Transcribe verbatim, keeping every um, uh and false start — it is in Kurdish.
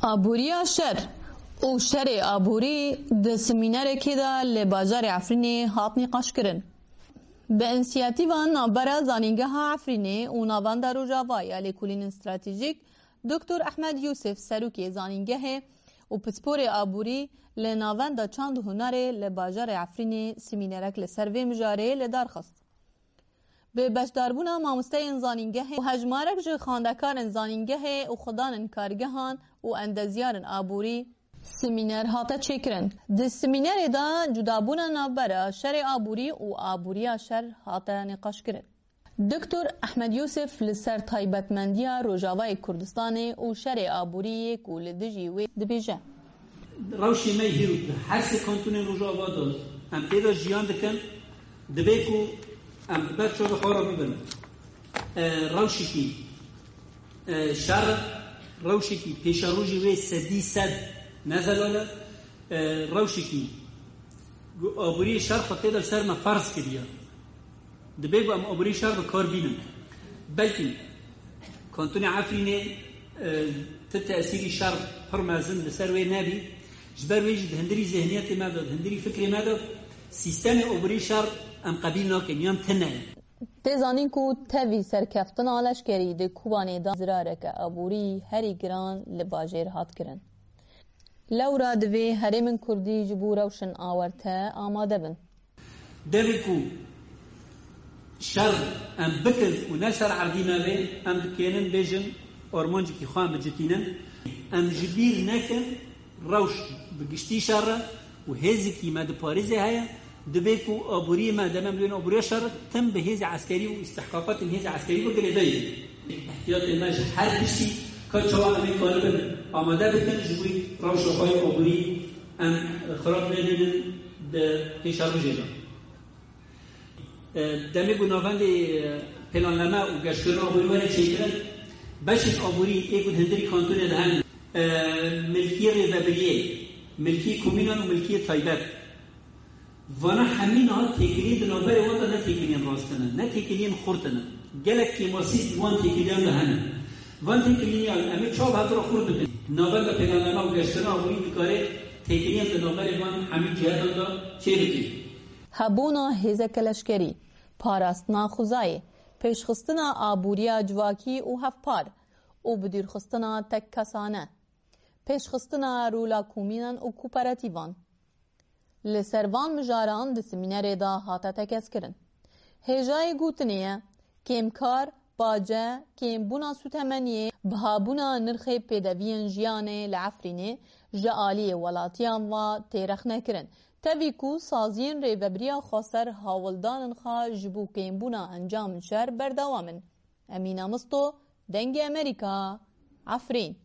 Aboriya şer û şerê aborî di semînerekê de li bajarê Efrînê hat nîqaşkirin. Bi însiyatîva navbera Zanîngeha Efrînê û Navenda Rojava ya Lêkolînên Stratejîk, Doktor Ehmed Yûsif, serokê zanîngehê û pisporê aborî li Navenda Çand û Hunerê li bajarê Efrînê, semînerek li ser vê mijarê li dar xist. Bi beşdarbûna mamosteyên zanîngehê û hejmarek ji xwendekarên zanîngehê û xwedanên kargehan û endeziyarên aborî, semîner hate çêkirin. Di semînerê de cudabûna navbera şerê aborî û aboriya şer hate nîqaşkirin. Doktor Ehmed Yûsif li ser taybetmendiya Rojavayê Kurdistanê û şerê aborî yê ku li dijî wê dibêje. Rewşê me hîro di her sê kantonên Rojava de em tê de jiyan dikin, divê ku em bi ber çavê xwe re bibin. E, rewşekî, e, şer, rewşekî pêşerojê wê sedî sed ne zelal e, e, rewşekî ku aboriyê şer xwe tê de li ser me ferz kiriye. Divê ku em aborî şer bi kar bînin. Belkî kantonê Efrînê, e, ti tesîrî şer pir mezin li ser wê nebî. Ji ber wê jî di hundirî zihniyetê me de, di hundirî fikrê me de sîstemê aborî şer em qebîl nakin yan tune ye. Tê zanîn ku tevî serkeftina leşkerî di Kobanê de zirareke aborî herî giran li bajêr hat kirin. Lewra divê herêmên Kurdî ji bo rewşên awarte amade bin. Devê ku şer em bikin û ne ser erdî navê, em dikênin bêjin armancekî xwe em bicitînin. Em ji bîr nekin rewş bi giştî şer e û hêzekî me diparêze heye, divê ku aboriyê me, deme em lê aboriya şer, tim bi hêzê eskerî û îstihqaqatên hêzê eskerî bi girêdayî. Ehtiyatê me ji her tiştî ka çawa em ê karibin amade bikin, ji bo rewşa xwe yê aborî em xirab nebînin di pêşerojê de. E, demê ku navendê, e, planname û geştkirin aborî were çêkirin, beşên aborî ê ku di hundirî kantonê de hene, e, milkiyê rêvebiriyê, milkiyê komînan û milkiyê taybet. Vana hemî niha têkiliyên di navberê wan de ne têkiliyên rast in, ne têkiliyên xurt in. Gelek kêmasî di wan têkiliyan de hene. Van têkiliyan em ê çawa bi hev re xurt bikin? Navenda planname û geştkirin aborî dikare têkiliyên di navberê van hemî cihatan de çêbike. Hebûna hêzeke leşkerî, parastina xwezayê, pêşxistina aboriya civakî û hevpar û bidûrxistina tekkesane, pêşxistina rola komînan û kooperatîvan. Li ser van mijaran di semînerê de hate tekez kirin. Hêjayê gotinê ye, kêmkar, bace, kêmbûna sûtemeniyê, bihabûna nirxê pêdeviyên jiyanê li Efrînê ji aliyê welatiyan ve tê rexnekirin. Tevî ku saziyên rêvebiriya xweser hawldanên xwe ji bo kêmbûna encamên şer berdewam in. Emîna Misto, Dengê Amerîka, Efrîn.